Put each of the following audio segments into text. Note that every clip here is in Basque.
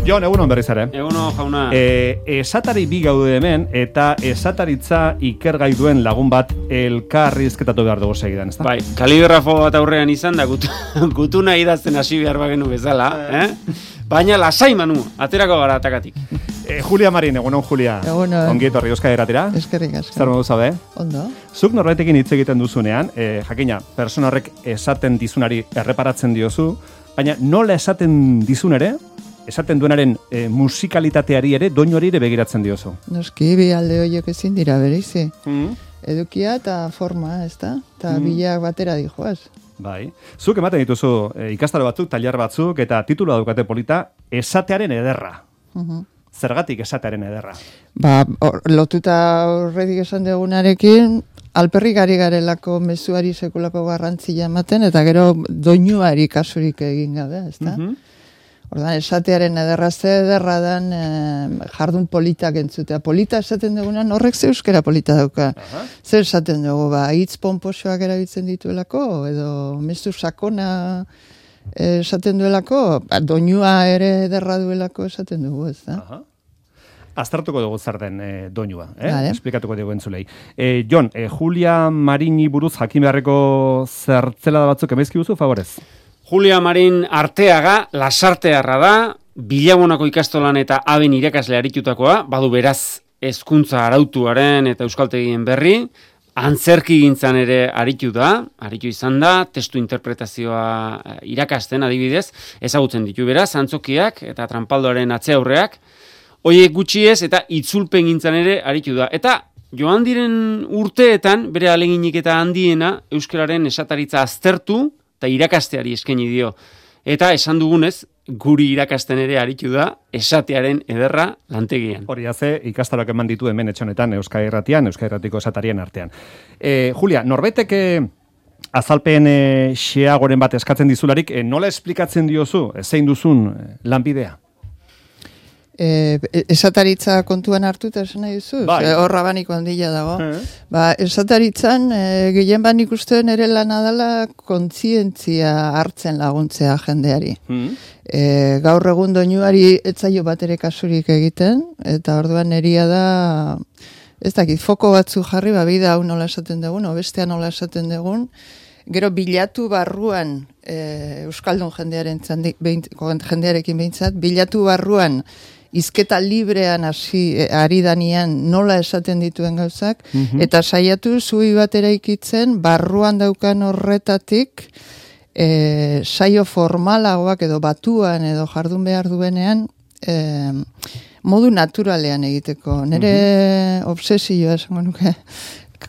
Jon, egunon berriz ere. Egunon, jauna. Esatari bi gaude hemen, eta esataritza ikergai duen lagun bat elkarrizketatu behar dugu segidan, ezta? Bai, kaligrafo bat aurrean izan da, gutuna idazten hasi behar bagenu bezala, Baina lasai manu, aterako gara atakatik. Julia Marin, egunon Julia. Egunon. Ongi etorri Euskadi Irratira. Eskerrik asko. Zer modu zaude? Ondo. Zuk norbaitekin hitz egiten duzunean, jakina, persona horrek esaten dizunari erreparatzen diozu, baina nola esaten dizun ere, esaten duenaren musikalitateari ere, doinuari ere begiratzen diozu. Noski, bi alde horiek ezin dira bereizi. Edukia eta forma, ez da? Eta bilak batera dijoaz. Bai. Zuk ematen dituzu ikastaro batzuk, tailer batzuk, eta titulua daukate polita, esatearen ederra. Zergatik esatearen ederra? Lotuta horretik esan dugunarekin, alperrik ari garelako mezuari sekulako garrantzia ematen, eta gero doinuari kasurik egin gabe, ez da? Ordan, esatearen ederra ze ederra dan jardun politak entzutea. Polita esaten dugunan horrek ze euskera polita dauka. Zer esaten dugu, hitz pomposoak erabiltzen dituelako, edo mezu sakona esaten duelako, doinua ere ederra duelako esaten dugu, ez da? Aztertuko dugu zer den doinua, esplikatuko dugu entzulei. Jon, Julia Marini buruz jakin beharreko zertzela da batzuk emaizki duzu, favorez? Julia Marin Arteaga, lasartearra da, Bilabonako ikastolan eta aben irakasle aritutakoa, badu beraz hezkuntza arautuaren eta euskaltegien berri, antzerki gintzan ere aritu izan da, testu interpretazioa irakasten adibidez, ezagutzen ditu beraz, antzokiak eta tranpaldoaren atzeaurreak, hoiek gutxi ez eta itzulpen gintzan ere aritu da. Eta joan diren urteetan, bere aleginik eta handiena, euskararen esataritza aztertu, eta irakasteari eskaini dio. Eta esan dugunez, guri irakasten ere aritu da, esatearen ederra lantegian. Hori haze, ikastaroak eman ditu hemen etxonetan Euskadi Irratian, Euskadi Irratiko esatarien artean. Julia, norbaitek azalpen xeagoren bat eskatzen dizularik, nola esplikatzen diozu, zein duzun lanbidea? Esataritza kontuan hartuta esan nahi duzu? Horra baniko handila dago. Esataritzan, gehien ban ikusten ere lana dela kontzientzia hartzen laguntzea jendeari. Gaur egun doinuari etzaio bat ere kasurik egiten, eta orduan eria da, ez dakit, foko batzu jarri, bida hau nola esaten dugun, bestea nola esaten dugun, gero bilatu barruan, Euskaldun jendearekin behintzat, bilatu barruan, hizketa librean ari danian nola esaten dituen gauzak, eta saiatu zui bat eraikitzen barruan daukan horretatik saio formalagoak edo batuan edo jardun behar duenean modu naturalean egiteko. Nere obsesioa esango nuke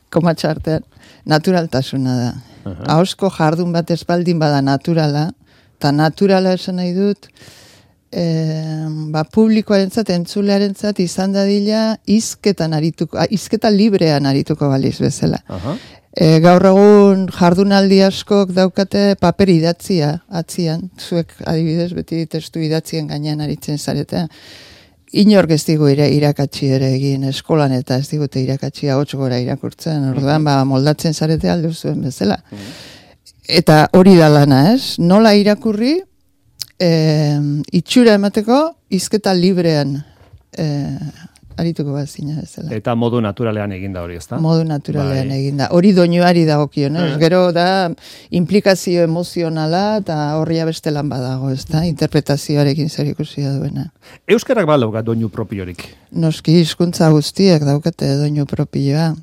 komatxartean naturaltasuna da. Ahozko jardun bat ezbaldin bada naturala, eta naturala esan nahi dut publikoarentzat, entzulearentzat izan dadila hizketa librean arituko baliz bezala. Gaur egun jardunaldi askok daukate paper idatzia atzian, zuek adibidez beti testu idatzien gainean aritzen zaretea. Inork ez digu irakatsi ere egin eskolan eta ez digute irakatsi ahots gora irakurtzen, orduan moldatzen zarete alde zuen bezala. Eta hori da lana, ez? Nola irakurri itxura emateko hizketa librean arituko bat zina bezala. Eta modu naturalean eginda hori, ezta? Modu naturalean eginda. Hori doinuari dagokion, ez? Gero da implikazio emozionala eta horria beste lan badago, ezta? Interpretazioarekin zer ikusia duena. Euskarak badauka doinu propiorik? Noski, hizkuntza guztiak daukate doinu propioa.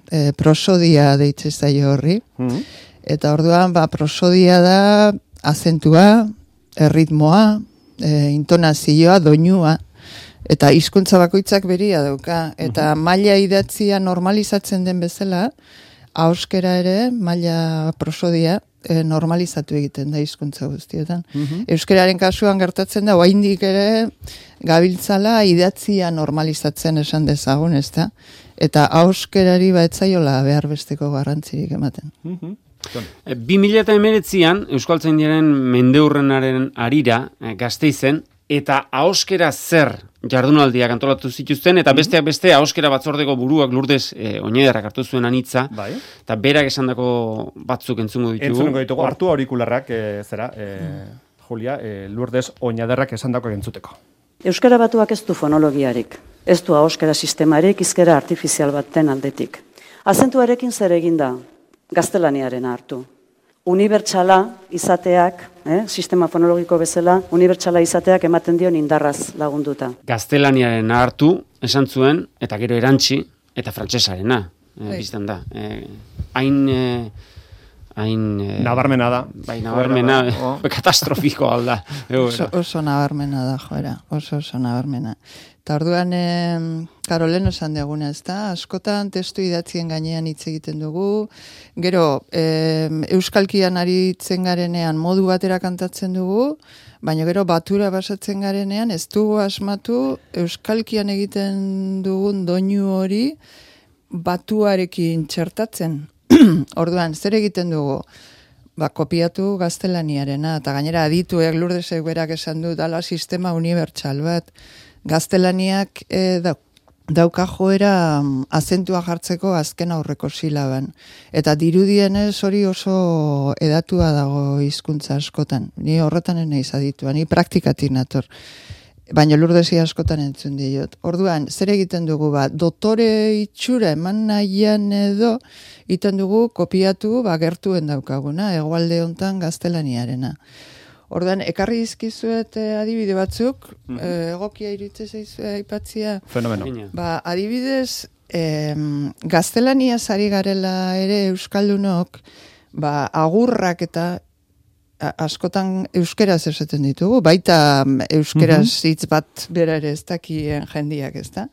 Prosodia deitzen zaio horri. Eta orduan, prosodia da azentua, erritmoa, intonazioa, doinua, eta hizkuntza bakoitzak beria dauka. Eta maila idatzia normalizatzen den bezala, ahoskera ere, maila prosodia, normalizatu egiten da hizkuntza guztietan. Euskararen kasuan gertatzen da, oraindik ere gabiltzala idatzia normalizatzen esan dezagun, ezta? Eta ahoskerari etzaiola behar besteko garrantzirik ematen. 2019an Euskaltzaindiaren mendeurrenaren arira Gasteizen eta ahoskera zer jardunaldiak antolatu zituzten eta besteak beste ahoskera batzordeko buruak Lourdes Oñederrak hartu zuen anitza eta berak esandako batzuk entzungo ditugu. Hartu aurikularrak Julia, Lourdes Oñederrak esandako entzuteko. Euskara batuak ez du fonologiarik, ez du ahoskera sistemarik hizkera artifizial baten aldetik. Azentuarekin zer egin da? Gaztelaniarena hartu. Unibertsala izateak, sistema fonologiko bezala, unibertsala izateak ematen dion indarraz lagunduta. Gaztelaniarena hartu, esan zuen, eta gero erantzi, eta frantsesarena, bizten da. Nabarmena da. Bai, nabarmena, katastrofiko alda. Oso nabarmena da, joera, oso nabarmena. Eta orduan, Karolen esan deguna, ez da, askotan testu idatzien gainean hitz egiten dugu, gero, euskalkian aritzen garenean modu batera kantatzen dugu, baina gero batura basatzen garenean ez dugu asmatu euskalkian egiten dugun doinu hori batuarekin txertatzen. Orduan, zer egiten dugu? Kopiatu gaztelaniarena, eta gainera adituek Lurdesek berak esan du dala sistema unibertsal bat. Gaztelaniak dauka joera azentua jartzeko azken aurreko silaban. Eta dirudienez hori oso edatua dago hizkuntza askotan. Ni horretan naiz aditua, ni praktikatik nator. Baina Lurdesi askotan entzun diot. Orduan, zer egiten dugu dotore itxura eman nahian edo, egiten dugu kopiatu gertuen daukaguna, hegoalde hontan gaztelaniarena. Orduan, ekarri dizkizuet adibide batzuk, egokia iritze zaizu aipatzia. Fenomeno. Adibidez, gaztelaniaz ari garela ere euskaldunok, agurrak eta askotan euskeraz esaten ditugu, baita euskeraz hitz bat bera ere ez dakien jendiak, ez da?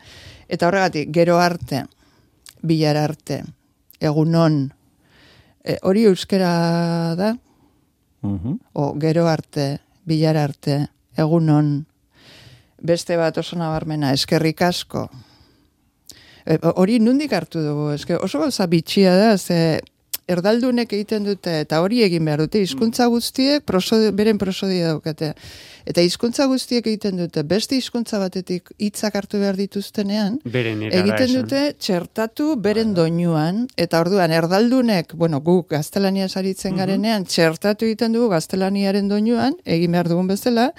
Eta horregatik, gero arte, bilar arte, egunon, hori euskera da? O gero arte, bilar arte, egunon, beste bat oso nabarmena, eskerrik asko. Hori nundik hartu dugu, oso gauza bitxia da, ze erdaldunek egiten dute, eta hori egin behar dute, hizkuntza guztiek beren prosodia daukate. Eta hizkuntza guztiek egiten dute, beste hizkuntza batetik hitzak hartu behar dituztenean, egiten dute txertatu beren doinuan, eta orduan erdaldunek, guk gaztelaniaz aritzen garenean, txertatu egiten dugu gaztelaniaren doinuan, egin behar dugun bezala,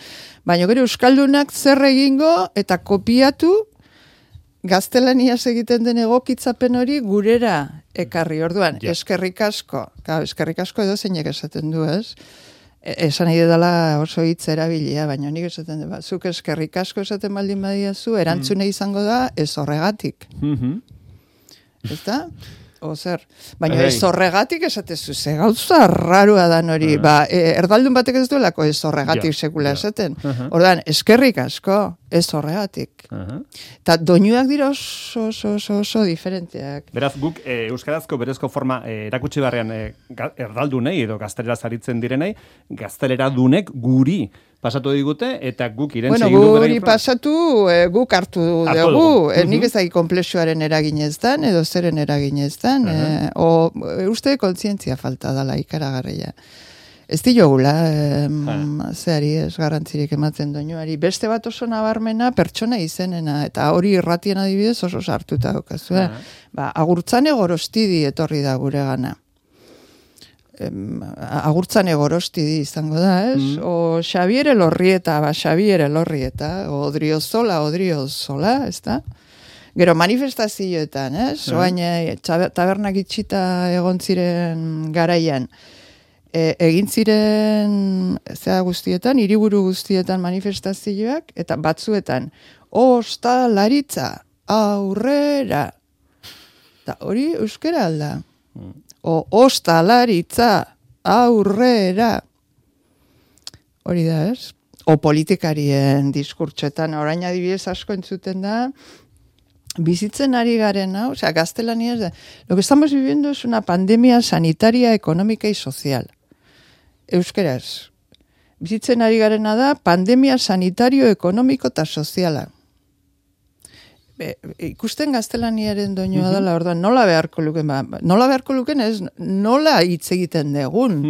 baina gero euskaldunak zer egingo eta kopiatu gaztelaniaz egiten den egokitzapen hori gurera ekarri. Orduan, eskerrik asko edo zeinek esaten du, ez? Esan nahi dela oso hitz erabilia, baina nik esaten du, zuk eskerrik asko esaten baldin badiazu, erantzune izango da ez horregatik. Ez da? Zer? Baina ez horregatik esatezu, ze gauza rarua dan hori, erdaldun batek ez duelako ez horregatik sekula esaten. Orduan, eskerrik asko, ez horregatik. Eta doinuak dira oso diferenteak. Beraz, guk euskarazko berezko forma erakutsi barrean erdaldunei edo gazteleraz aritzen direnei, gazteleradunek guri pasatu digute, eta guk irentzi egin dugu. Guri pasatu, guk hartu dugu. Nik ez da konplexuaren eraginez dan, edo zeren eraginez dan. Uste kontzientzia falta dala ikaragarria. Ez diogula, zehari ez garrantzirik ematen doinuari. Beste bat oso nabarmena pertsona izenena, eta hori irratien adibidez oso sartuta daukazu. Agurtzane Gorostidi etorri da gure gana. Agurtzane Gorostidi izango da, ez? O Xabier Elorrieta, Xabier Elorrieta, o Odriozola, ez da? Gero manifestazioetan, ez? Oain tabernak itxita egon ziren garaian. Egin ziren guztietan, hiriburu guztietan manifestazioak, eta batzuetan, ostalaritza, aurrera. Eta hori euskera alda. Ostalaritza, aurrera. Hori da, ez? O politikarien diskurtsoetan, orain adibidez asko entzuten da, bizitzen ari garen, gaztelania es da. Lo que estamos viviendo es una pandemia sanitaria, económica y social. Euskeraz. Bizitzen ari garena da, pandemia sanitario, ekonomiko eta soziala. Ikusten gaztelaniaren doinua dela, orduan, nola beharko luken ez, nola hitz egiten degun.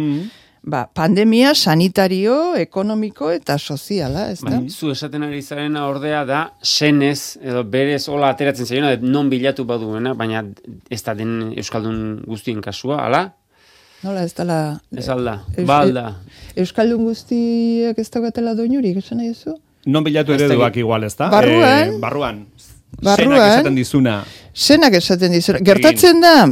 Pandemia sanitario, ekonomiko eta soziala, ez da? Zu esaten ari zarena ordea da, senez, edo berez hola ateratzen zaiona, non bilatu baduena, baina ez da den euskaldun guztien kasua, ala? Nola ez dela... Ez alda, balda. Euskaldun guztiek ez daukatela doinurik, esan nahi zu? Non bilatu ereduak igual, ez da? Barruan. Zenak esaten dizuna. Zenak esaten dizuna. Gertatzen da,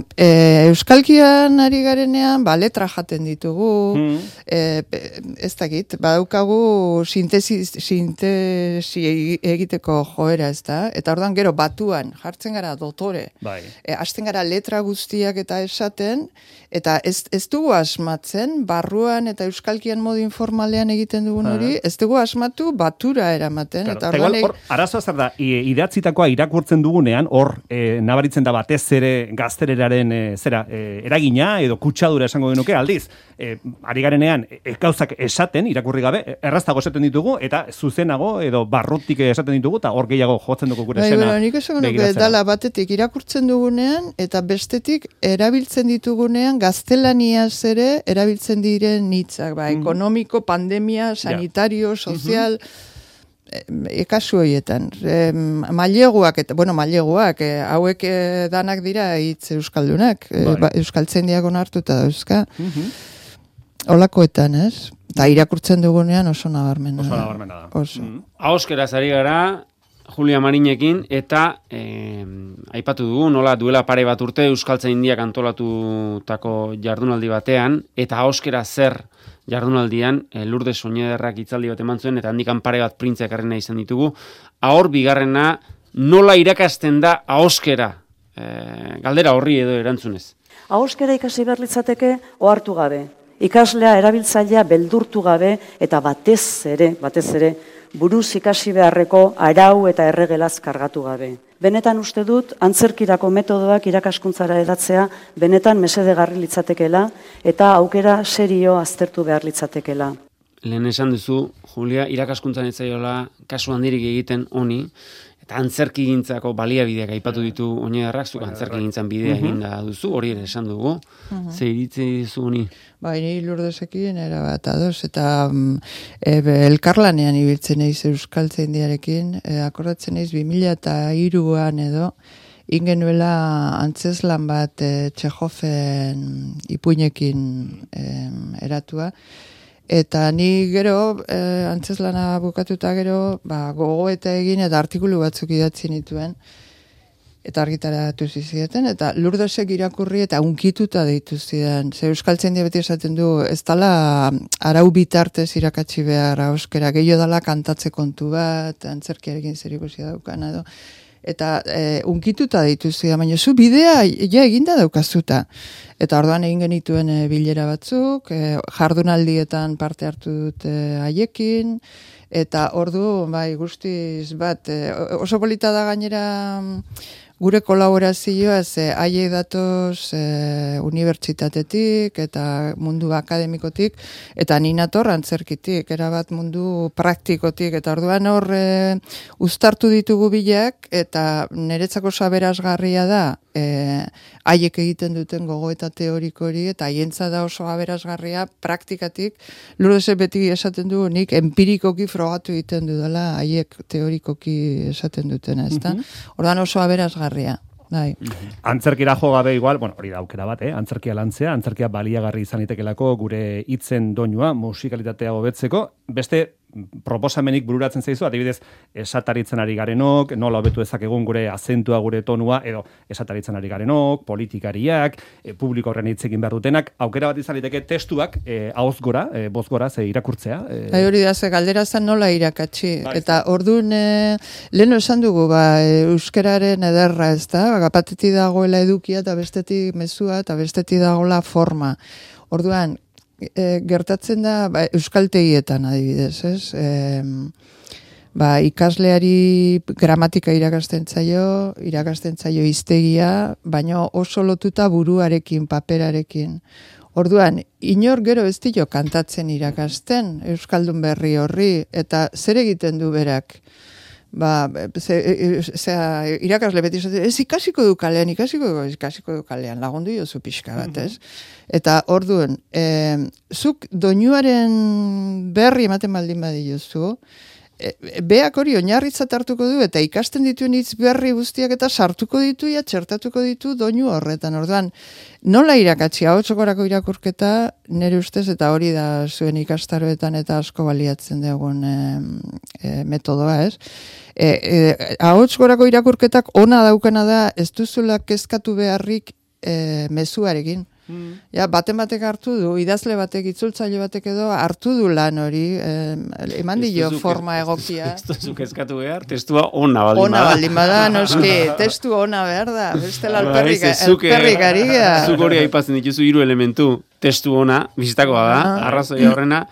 euskalkian ari garenean, letra jaten ditugu, ez dakit, badaukagu sintesi egiteko joera, ez da? Eta ordan gero batuan, jartzen gara dotore, hasten gara letra guztiak eta esaten, eta ez dugu asmatzen, barruan eta euskalkian modu informalean egiten dugun hori, ez dugu asmatu batura eramaten. Eta igual, arazoa zer da, idatzitakoa irakurtzen dugunean, hor nabaritzen da batez ere gaztereraren eragina edo kutsadura esango genuke, aldiz, ari garenean gauzak esaten, irakurri gabe, erraztago esaten ditugu, eta zuzenago edo barrutik esaten ditugu, eta hor gehiago jotzen dugu gure esena. Nik esango nuke dala batetik irakurtzen dugunean, eta bestetik erabiltzen ditugunean gaztelaniaz ere erabiltzen diren hitzak, ekonomiko, pandemia, sanitario, sozial, kasu horietan. Maileguak, hauek danak dira hitz euskaldunak, euskaltzaindiak onartuta dauzka. Olakoetan, ez? Eta irakurtzen dugunean oso nabarmena. Oso nabarmena da. Ahoskeraz ari gara, Julia Marinekin, eta aipatu dugu, nola duela pare bat urte euskaltzaindiak antolatutako jardunaldi batean, eta ahoskera zer jardunaldian, Lourdes Soñederrak hitzaldi bat eman zuen, eta handikan pare bat printzeak arrena izan ditugu. Ahor bigarrena, nola irakasten da ahoskera? Galdera horri edo erantzunez. Ahoskera ikasi behar litzateke ohartu gabe. Ikaslea, erabiltzailea beldurtu gabe, eta batez ere, buruz ikasi beharreko arau eta erregelaz kargatu gabe. Benetan uste dut, antzerkirako metodoak irakaskuntzara edatzea, benetan mesedegarri litzatekela, eta aukera serio aztertu behar litzatekela. Lehen esan duzu, Julia, irakaskuntzan ez zaiola kasu handirik egiten honi, eta antzerkigintzako baliabideak aipatu ditu Oñederrak, zuk antzerkigintzan bidea eginda duzu, hori ere esan dugu. Ze iritzi dizu honi? Ni Lourdesekin erabat ados, eta elkarlanean ibiltzen eiz euskaltzaindiarekin, akordatzen eiz 2003an edo, ingenuela antzeslan bat Txehofen ipuinekin eratua, eta ni gero, antzeslana bukatuta gero, gogoeta egin eta artikulu batzuk idatzi nituen, eta argitaratu zizieten, eta Lourdesek irakurri eta unkituta deitu zidan. Ze euskaltzaindia beti esaten du, ez dala arau bitartez irakatsi behar ahoskera, gehiago dala kantatze kontu bat, antzerkiarekin zerikusia daukana edo. Eta unkituta deitu zidan, baina zu bidea eginda daukazuta. Eta orduan egin genituen bilera batzuk, jardunaldietan parte hartu dut haiekin, eta ordu, guztiz bat, oso polita da gainera gure kolaborazioa, haiek datoz unibertsitatetik eta mundu akademikotik, eta ni nator antzerkitik, erabat mundu praktikotik, eta orduan hor uztartu ditugu bileak, eta niretzako aberasgarria da, haiek egiten duten gogoeta teoriko hori, eta haientza da oso aberasgarria praktikatik, Lourdesek beti esaten du, nik empirikoki frogatu egiten dudala, haiek teorikoki esaten dutena, ezta? Orduan oso aberasgarria. Antzerkira jo gabe igual, hori da aukera bat, antzerkia lantzea, antzerkia baliagarri izan itekelako gure hitzen doinua, musikalitatea hobetzeko, beste proposamenik bururatzen zaizu, adibidez, esataritzen ari garenok, nola hobetu ezakegun gure azentua, gure tonua, edo esataritzen ari garenok, politikariak, publiko horren hitz egin behar dutenak, aukera bat izan liteke testuak, ahoz gora, boz gora, irakurtzea. Hori da, galdera zen nola irakatsi, eta orduan, leheno esan dugu, euskararen ederra, ez da, batetik dagoela edukia, eta bestetik mezua, eta bestetik dagoela forma. Orduan, gertatzen da euskaltegietan adibidez, ez? Ikasleari gramatika irakasten zaio hiztegia, baina oso lotuta buruarekin, paperarekin. Orduan, inor gero ez dio kantatzen irakasten, euskaldun berri horri, eta zer egiten du berak? Irakasle beti zaten, ez ikasiko du kalean, lagundu jozu pixka bat, ez? Eta orduan, zuk doinuaren berri ematen baldin badiozu, beak hori oinarritzat hartuko du, eta ikasten dituen hitz berri guztiak eta sartuko ditu, txertatuko ditu doinu horretan. Orduan, nola irakatsi, ahotsokorako irakurketa, nire ustez, eta hori da zuen ikastaroetan eta asko baliatzen dugun metodoa, ez? Ahotskorako irakurketak ona daukana da, ez duzula kezkatu beharrik mezuarekin. Ja, batek hartu du, idazle batek, itzultzaile batek edo hartu du lan hori, eman dio forma egokia. Ez duzuk eskatu behar, testua ona baldin bada. Ona baldin bada, noski, testu ona behar da, bestela alperrik ari gea. Zuk hori aipatzen dituzu 3 elementu, testu ona, bizitakoa da, arrazoia horrena,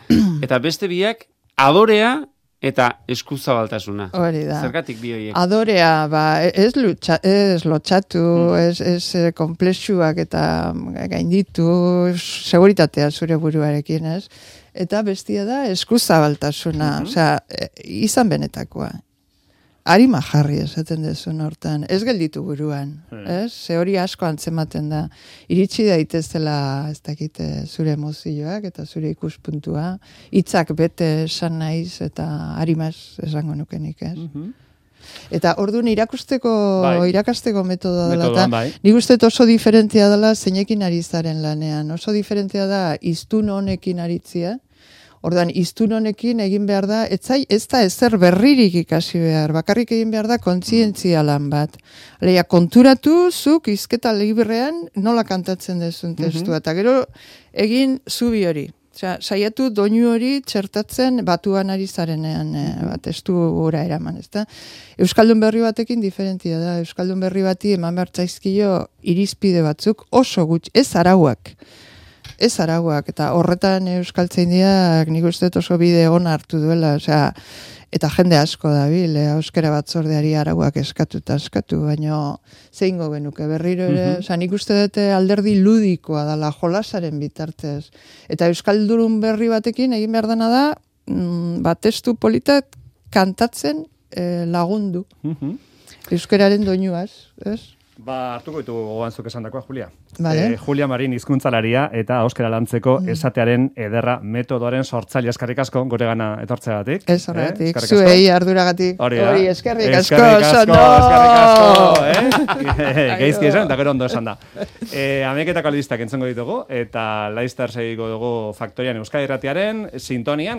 eta beste biak, adorea, eta eskuzabaltasuna. Hori da. Zergatik bi horiek? Adorea, ez lotxatu, ez komplexuak eta gainditu, seguritatea zure buruarekin, ez? Eta bestia da eskuzabaltasuna, osea, izan benetakoa. Arima jarri esaten dezun hortan, ez gelditu buruan, ez? Ze hori asko antzematen da. Iritsi daitezela, ez dakite, zure emozioak eta zure ikuspuntua, hitzak bete esan naiz eta arimaz esango nukenik, ez? Eta orduan irakasteko metodoa dela, eta nik uste oso diferentzia dela zeinekin ari zaren lanean. Oso diferentzia da iztun honekin aritzia. Ordan iztun honekin egin behar da, ez da ezer berririk ikasi behar, bakarrik egin behar da kontzientzia lan bat. Aleia, konturatu zuk hizketa librean nola kantatzen dezun testua, eta gero egin zubi hori. Osea, saiatu doinu hori txertatzen batuan ari zarenean testu gora eraman, ezta? Euskaldun berri batekin diferentia da, Euskaldun berri bati eman behar zaizkio irizpide batzuk oso gutxi, ez arauak, eta horretan euskaltzaindiak nik uste oso bide ona hartu duela, osea, eta jende asko dabil, euskara batzordeari arauak eskatu, baina zeingo genuke berriro ere, osea, nik uste dute alderdi ludikoa dela jolasaren bitartez, eta euskaldun berri batekin egin behar dena da, testu politak kantatzen lagundu, euskararen doinuaz, ez? Hartuko ditu gogoan zuk esandakoa, Julia. Vale. Julia Marin hizkuntzalaria eta euskara lantzeko esatearen ederra metodoaren sortzaile, eskerrik asko guregana etortzeagatik. Ez horregatik, zuei arduragatik. Hori, eskerrik asko. Geizki esan, eta gero ondo esan da. Ameketako albistak entzongo ditugu, eta laizter segiko dugu Faktorian Euskadi Irratiaren sintonian,